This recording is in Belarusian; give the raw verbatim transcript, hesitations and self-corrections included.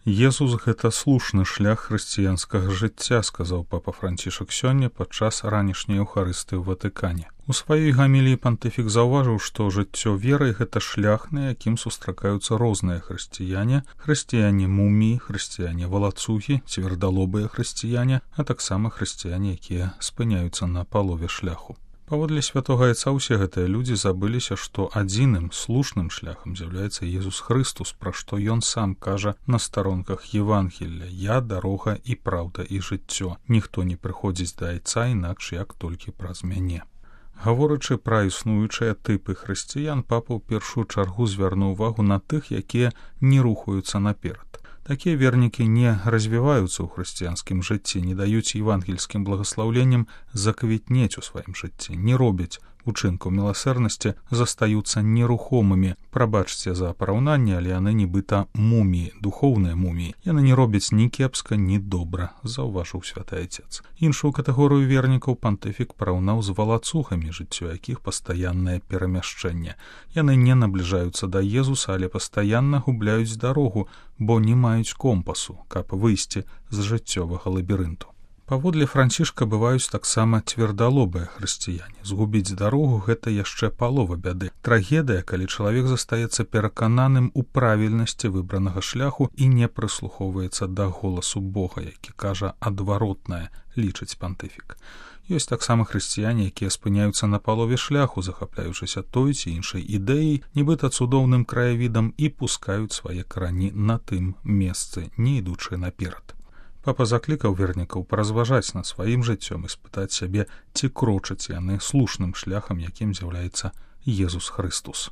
Езус — гэта слушны шлях хрысціянскага жыцця, сказаў папа Францішак сёння падчас ранішняй еўхарыстыі ў Ватыкане. У сваёй гаміліі пантыфік заўважыў, што жыццё верай — гэта шлях, на якім сустракаюцца розныя хрысціяне, хрысціяне-муміі, хрысціяне-валацугі, цвярдалобыя хрысціяне, а таксама хрысціяне, якія спыняюцца на палове шляху. Паводле святога Айца ўсе гэтыя людзі забыліся, што адзіным слушным шляхам з'яўляецца Езус Хрыстус, пра што ён сам кажа на старонках Евангелля: «Я дарога і праўда і жыццё. Ніхто не прыходзіць да Айца інакш, як толькі праз мяне». Гаворачы пра існуючыя тыпы хрысціян, папа ў першую чаргу звярнуў увагу на тых, якія не рухаюцца наперад. Такія вернікі не развіваюцца ў хрысціянскім жыцці, не даюць евангельскім благаслаўленням заквітнець у сваім жыцці, не робяць учынкаў міласэрнасці, застаюцца нерухомымі. Прабачце за параўнанне, але яны нібыта муміі, духоўныя муміі. Яны не робяць ні кепска, ні добра, заўважыў святы Айцец. Іншую катэгорыю вернікаў пантыфік параўнаў з валацугамі, жыццё якіх пастаяннае перамяшчэнне. Яны не набліжаюцца да Езуса, але пастаянна губляюць дарогу, бо не маюць компасу, каб выйсці з жыццёвага лабірынту. Паводле Францішка бываюць таксама цвярдалобыя хрысціяне. Згубіць дарогу — гэта яшчэ палова бяды. Трагедыя, калі чалавек застаецца перакананым у правільнасці выбранага шляху і не прыслухоўваецца да голасу Бога, які кажа адваротнае, лічыць пантыфік. Ёсць таксама хрысціяне, якія спыняюцца на палове шляху, захапляючыся той ці іншай ідэяй, нібыта цудоўным краявідам, і пускаюць свае карані на тым месцы, не ідучы наперад. Папа заклікаў вернікаў паразважаць над сваім жыццём і спытаць сябе, ці крочаць яны слушным шляхам, якім з'яўляецца Езус Хрыстус.